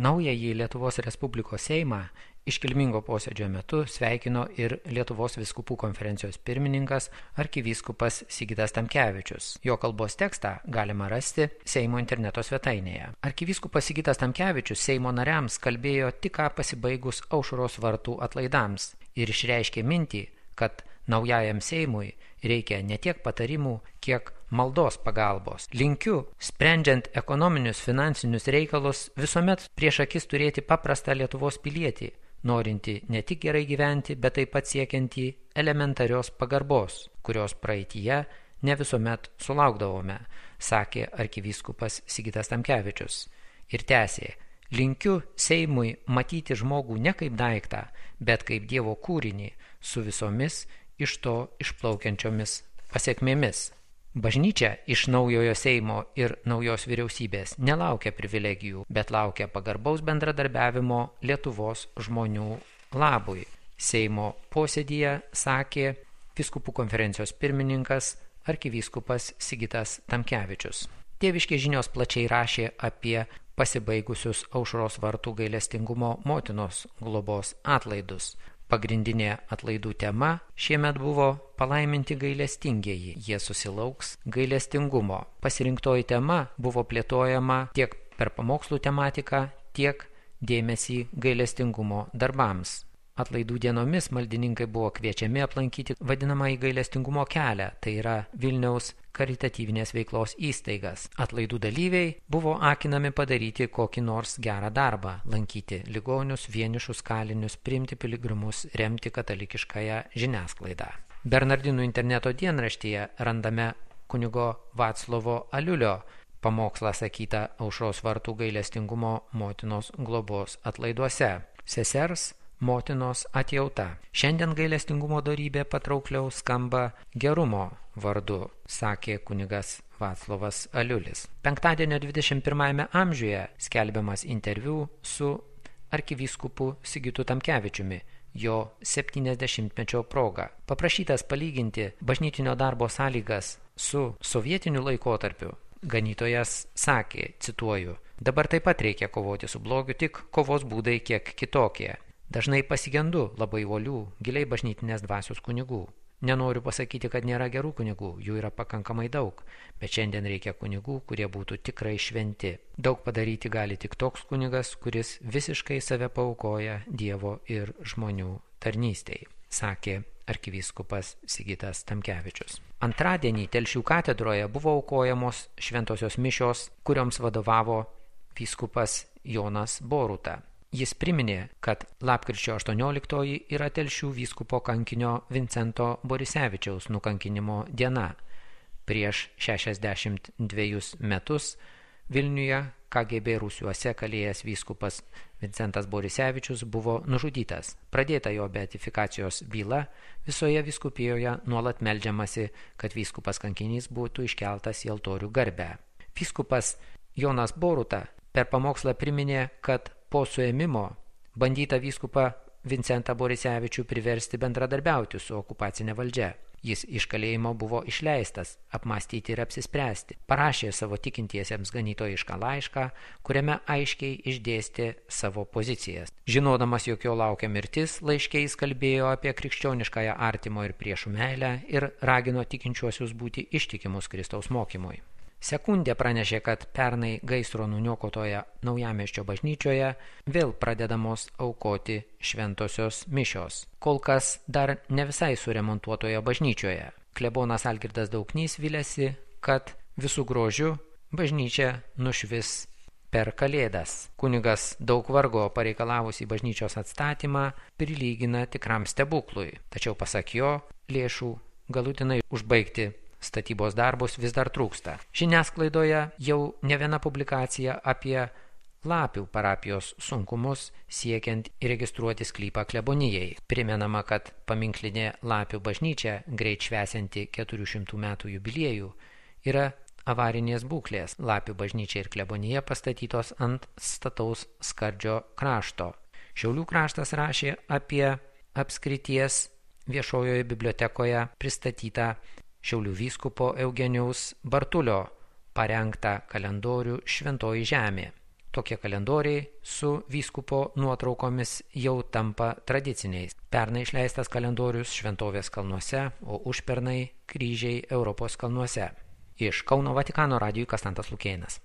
Naująjį Lietuvos Respublikos Seimą iškilmingo posėdžio metu sveikino ir Lietuvos vyskupų konferencijos pirmininkas arkivyskupas Sigitas Tamkevičius. Jo kalbos tekstą galima rasti Seimo interneto svetainėje. Arkivyskupas Sigitas Tamkevičius Seimo nariams kalbėjo tik ką pasibaigus Aušros vartų atlaidams ir išreiškė mintį, kad naujajam Seimui reikia ne tiek patarimų, kiek maldos pagalbos. Linkiu, sprendžiant ekonominius, finansinius reikalus, visuomet prieš akis turėti paprastą Lietuvos pilietį, norinti ne tik gerai gyventi, bet taip pat siekianti elementarios pagarbos, kurios praeityje ne visuomet sulaukdavome, sakė arkivyskupas Sigitas Tamkevičius. Ir tęsė, linkiu Seimui matyti žmogų ne kaip daiktą, bet kaip Dievo kūrinį su visomis iš to išplaukiančiomis pasiekmėmis. Bažnyčia iš naujojo Seimo ir naujos vyriausybės nelaukia privilegijų, bet laukia pagarbaus bendradarbiavimo Lietuvos žmonių labui. Seimo posėdyje sakė vyskupų konferencijos pirmininkas arkivyskupas Sigitas Tamkevičius. Tėviškės žinios plačiai rašė apie pasibaigusius Aušros vartų gailestingumo motinos globos atlaidus. Pagrindinė atlaidų tema šiemet buvo palaiminti gailestingieji, jie susilauks gailestingumo. Pasirinktoji tema buvo plėtojama tiek per pamokslų tematiką, tiek dėmesį gailestingumo darbams. Atlaidų dienomis maldininkai buvo kviečiami aplankyti vadinamąjį gailestingumo kelią, tai yra Vilniaus karitatyvinės veiklos įstaigas. Atlaidų dalyviai buvo akinami padaryti kokį nors gerą darbą, lankyti ligonius, vienišus kalinius, priimti piligrimus, remti katalikiškąją žiniasklaidą. Bernardinų interneto dienraštyje randame kunigo Vaclovo Aliulio pamokslą sakytą Aušros vartų gailestingumo motinos globos atlaiduose. Sesers motinos atjauta. Šiandien gailestingumo dorybė patraukliau skamba gerumo vardu, sakė kunigas Vaclovas Aliulis. Penktadienio 21 amžiuje skelbiamas interviu su arkivyskupu Sigitu Tamkevičiumi, jo 70-mečio proga. Paprašytas palyginti bažnytinio darbo sąlygas su sovietiniu laikotarpiu, ganytojas sakė, cituoju, dabar taip pat reikia kovoti su blogiu, tik kovos būdai kiek kitokie. Dažnai pasigendu labai uolių, giliai bažnytinės dvasios kunigų. Nenoriu pasakyti, kad nėra gerų kunigų, jų yra pakankamai daug, bet šiandien reikia kunigų, kurie būtų tikrai šventi. Daug padaryti gali tik toks kunigas, kuris visiškai save paaukoja Dievo ir žmonių tarnystei, sakė arkivyskupas Sigitas Tamkevičius. Antradienį Telšių katedroje buvo aukojamos šventosios mišios, kurioms vadovavo vyskupas Jonas Boruta. Jis priminė, kad lapkričio 18 yra Telšių vyskupo kankinio Vincento Borisevičiaus nukankinimo diena. Prieš 62 metus Vilniuje KGB rūsiuose kalėjęs vyskupas Vincentas Borisevičius buvo nužudytas. Pradėta jo beatifikacijos byla, visoje vyskupijoje nuolat meldžiamasi, kad vyskupas kankinys būtų iškeltas į altorių garbę. Vyskupas Jonas Boruta per pamokslą priminė, kad po suėmimo bandyta vyskupą Vincentą Borisevičių priversti bendradarbiauti su okupacinė valdžia. Jis iš kalėjimo buvo išleistas, apmąstyti ir apsispręsti. Parašė savo tikintiesiems ganytojišką laišką, kuriame aiškiai išdėstė savo pozicijas. Žinodamas, jog jo laukia mirtis, laiške jis kalbėjo apie krikščioniškąją artimo ir priešų meilę ir ragino tikinčiuosius būti ištikimus Kristaus mokymui. Sekundė pranešė, kad pernai gaisro nuniokotoje Naujamiesčio bažnyčioje vėl pradedamos aukoti šventosios mišios. Kol kas dar ne visai suremontuotoje bažnyčioje. Klebonas Algirdas Dauknys viliasi, kad visų grožių bažnyčia nušvis per Kalėdas. Kunigas daug vargo pareikalavusi bažnyčios atstatymą prilygina tikram stebuklui. Tačiau pasak jo, lėšų galutinai užbaigti statybos darbus vis dar trūksta. Žiniasklaidoje jau ne viena publikacija apie Lapių parapijos sunkumus siekiant įregistruoti sklypą klebonijai. Primenama, kad paminklinė Lapių bažnyčia, greit švęsianti 400 metų jubiliejų, yra avarinės būklės. Lapių bažnyčia ir klebonija pastatytos ant stataus skardžio krašto. Šiaulių kraštas rašė apie apskrities viešojoje bibliotekoje pristatytą Šiaulių vyskupo Eugenijaus Bartulio parengtą kalendorių Šventoji žemė. Tokie kalendoriai su vyskupo nuotraukomis jau tampa tradiciniais. Pernai išleistas kalendorius Šventovės kalnuose, o užpernai kryžiai Europos kalnuose. Iš Kauno Vatikano radijui Kastantas Lukėnas.